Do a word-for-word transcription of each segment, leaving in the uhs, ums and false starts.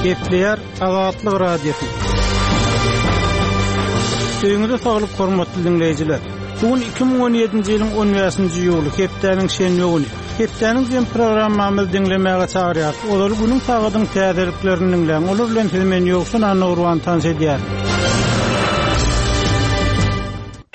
Gepleýär Azatlyk Radiosy. Öýüňize saglyk hormatly diňleýjiler. Bu gün iki müň on ýedinji ýylyň on bäşinji iýuly, hepdäniň şenbe güni. Hepdäniň jem programmamyzy diňlemäge çagyrýarys. Ozaly günüň sagadyň täzeliklerini diňläň. Olar bilen sizi men Ýowşan Annagurban tanyş edýärin.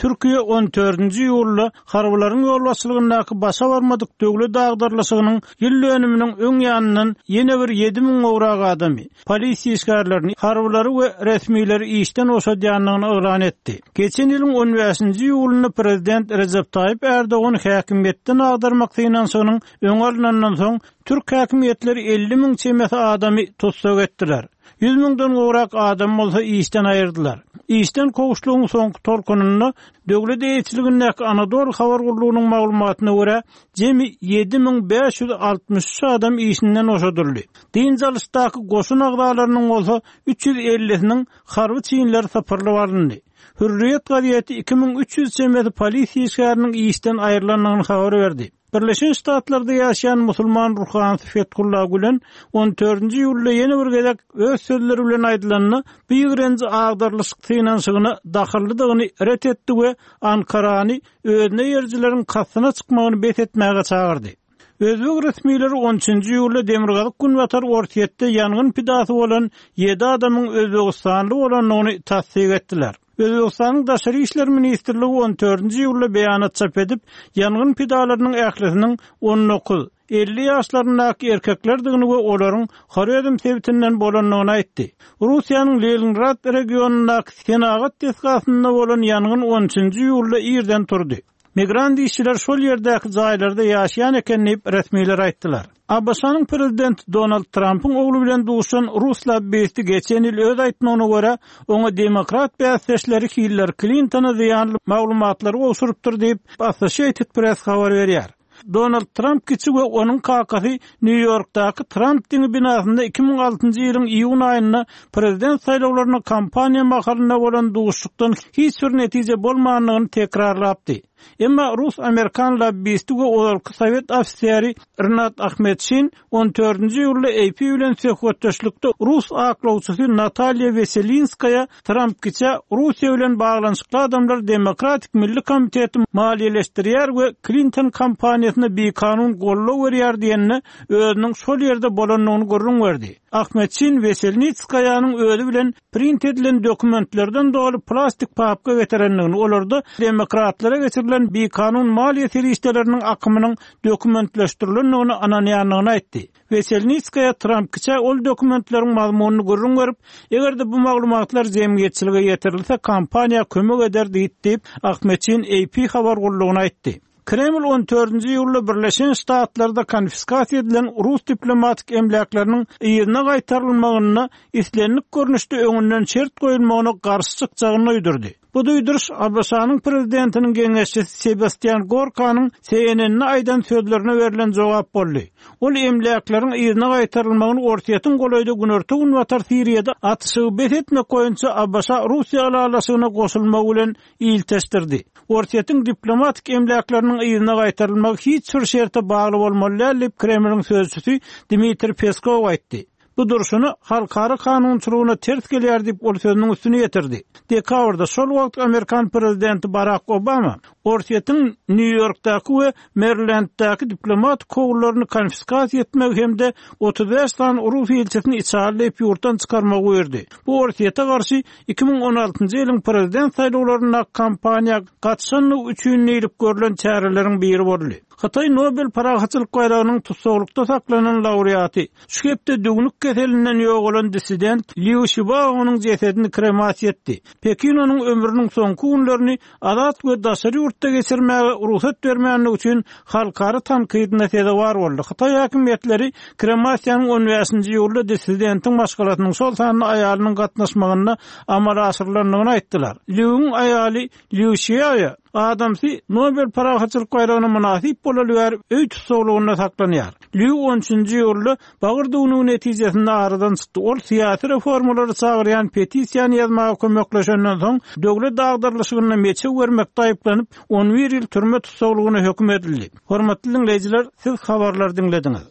Türkiýe on dördünji iýulda harbylaryň ýolbaşçylygyndaky başa barmadyk döwlet agdarlyşygynyň ýyl dönüminiň öň ýanyndan ýene bir ýedi müň gowrak adamy, polisiýa işgärlerini, harbylary we resmileri işden boşadýandygyny yglan etdi. Geçen ýylyň on bäşinji iýulynda prezident Rejep Taýyp Erdogan häkimiýetden agdarmak synanyşygynyň öňi alnandan soň türk häkimiýetleri elli müň çemesi adamy tussag etdiler. Ýüz müňden gowrak adam bolsa işden aýyrdylar. Işden kowuşlygyň soňky tolkunynda döwlet eýeçiligindäki Anadolu habar gullugynyň maglumatyna görä, jemi ýedi müň bäş ýüz altmyş üç adam işinden boşadyldy. Dynç alyşdaky goşun agzalarynyň bolsa üç ýüz ellisiniň harby çinleri sypyrlyp alyndy. Hürriýet gazeti iki müň üç ýüz çemesi polisiýa işgäriniň işden aýrylandygyny habar berdi. Birleşen Ştatlarda ýaşaýan musulman ruhanysy Fethullah Gülen on dördünji iýulda ýene bir gezek öz sözleri bilen aýdylanda bu ýigrenji agdarlyşyk synanyşygyna dahyllydygyny ret etdi we Ankarany özüne ýercileriň kastyna çykmagyny bes etmäge çagyrdy. Özbek resmileri on üçünji iýulda Demirgazyk Günbatar Orsýetde ýangyn pidasy bolan ýedi adamyň Özbegistanly bolandygyny tassyk etdiler. Özbegistanyň Daşary İşler Ministrligi on dördünji iýulda beýanat çap edip, ýangyn pidalarynyň ählisiniň on dokuz, elli ýaşlaryndaky erkeklerdigini we olaryň Horezm sebitinden bolandygyny aýtdy. Russiýanyň Leningrad regionyndaky senagat desgasynda bolan ýangyn on üçünji iýulda irden turdy. Migrant işçiler şol ýerdäki jaýlarda ýaşaýan eken diýip resmiler aýtdylar. ABŞ-nyň prezidenti Donald Trumpyň ogly bilen duşan rus lobbisti geçen ýyl öz aýtmagyna görä, oňa demokrat bäsdeşleri Hillary Clintona zyýanly maglumatlary gowşurypdyr diýip Associated Press habar berýär. Donald Trump kiçi we onuň kakasy Nýu-Ýorkdaky Trump diňi binasynda iki müň altynjy ýylyň iýun aýynda prezident saýlawlaryna kampaniýa mahalynda bolan duşuşykdan hiç bir netije bolmandygyny tekrarlapdy. Emma rus-amerikan lobbisti we ozalky sowet ofiseri Rinat Ahmetşin on dördünji iýulda A P bilen söhbetdeşlikde rus aklawçysy Natalýa Weselinskaya Trump kiçä Russiýa bilen baglanyşykly adamlar Demokratik Milli Komiteti maliýeleşdirýär we Clinton kampaniýasyna bikanun goldaw berýär diýenine özüniň şol ýerde bolandygyny gürrüň berdi. Ahmetşin Weselinskaýanyň özi bilen print edilen dokumentlerden doly plastik papka getirendigini, olarda demokratlara geçirilen bikanun maliýe serişdeleriniň akymynyň dokumentleşdirilendigini ananýandygyny aýtdy. Weselinskaya Trump kiçä ol dokumentleriň mazmunyny gürrüň berip, eger-de bu maglumatlar jemgyýetçilige ýetirilse, kampaniýa kömek eder diýip, diýip Ahmetşin A P habar gullugyna aýtdy. Kreml on dördünji iýulda Birleşen Ştatlarda konfiskasiýa edilen rus diplomatik emläkleriniň yzyna gaýtarylmagyna islendik görnüşde öňünden şert goýulmagyna garşy çykjagyny duýdurdy. Bu duýduryş ABŞ-nyň prezidentiniň geňeşçisi Sebastian Gorkanyň C N N-ne aýdan sözlerine berlen jogap boldy. Ol emläkleriň yzyna gaýtarylmagyny Orsýetiň golaýda Günorta-Günbatar Siriýada atyşygy bes etmek boýunça A B Ş-Russiýa ylalaşygyna goşulmagy bilen ilteşdirdi. Orsýetiň diplomatik emläkleriniň yzyna gaýtarylmagy hiç bir şerte bagly bolmaly däl diýip Kremliň sözçüsi Dmitriý Peskow aýtdy. Bu durşuny halkara kanunçylygyna ters gelýär diýip ol sözüniň üstüne ýetirdi. Dekabrda şol wagt Amerikan prezidenti Barack Obama Orsýetiň Nýu-Ýorkdaky we Marylanddaky diplomatik kowlaryny konfiskasiýa etmegi hem-de otuz bäş sany rus ilçisini içalyp ýurtdan çykarmagy buýurdy. Bu Orsýete garşy iki müň on altynjy ýylyň prezident saýlawlarynda kampaniýa gatnaşandygy üçin diýlip görlen çäreleriň biri boldy. Hytaý Nobel parahatçylyk baýragynyň tussaglykda saklanan laureaty, şu hepde düwnük keselinden ýogalan dissident Liu Xiaobo'nyň jesedini kremasiýa etdi. Pekin onuň ömrüniň soňky günlerini azat we daşary ýurtda geçirmäge rugsat bermänligi üçin halkara tankydyna sezewar boldy. Hytaý häkimiýetleri kremasiýanyň on bäşinji iýulda dissidentiň maşgalasynyň şol sanda aýalynyň gatnaşmagynda amala aşyrylandygyny aýtdylar. Liu'ň aýaly Liu Xiaoya adamsy Nobel parahatçylyk baýragyna mynasyp bolaly bäri öý tussaglygynda saklanýar. Liu on üçünji iýulda bagyr düwnügi netijesinde aradan çykdy. Ol syýasy reformalary çagyrýan petisiýany ýazmaga kömekleşenden soň döwlet agdarlyşygyna meçew bermekde aýyplanyp on bir ýyl türme tussaglygyna höküm edildi. Hormatly dinleýjiler, siz habarlary diňlediňiz.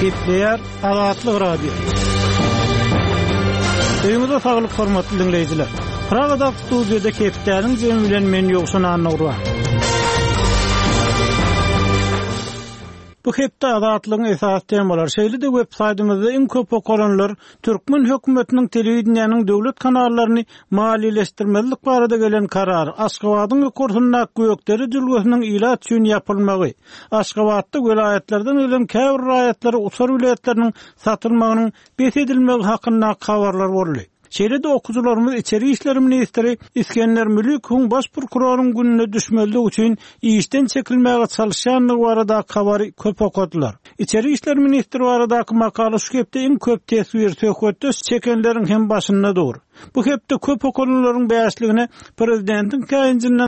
Gepleýär Azatlyk Radiosy. Öýüňize saglyk hormatly diňleýjiler. Pragadaky studiýada hepdäniň jemi bilen men Ýowşan Annagurban. Bu hepde Azatlygyň esasy temalary, şeýle-de web saýtymyzda iň köp okalanlar türkmen hökümetiniň telewideniýäniň döwlet kanallaryny maliýeleşdirmezlik barada gelen karary, Aşgabadyň ýokarsyndaky Gökdere jülgesiniň ilat üçin ýapylmagy, Aşgabatda welaýatlardan gelen käbir raýatlara uçar biletleriniň satylmagynyň bes edilmegi hakyndaky habarlar boldy. Şeýle-de okyjylarymyz içeri işler ministri Isgender Mülikowyň baş prokuroryň gününe düşmezlik üçin işden çekilmäge çalyşýandygy baradaky habary köp okadylar. Içeri işler ministri baradaky makala şu hepde iň köp teswir, söhbetdeş çekenleriň hem başynda dur. Bu hepde köp okalanlaryň bäşligine prezidentiň käýinjinden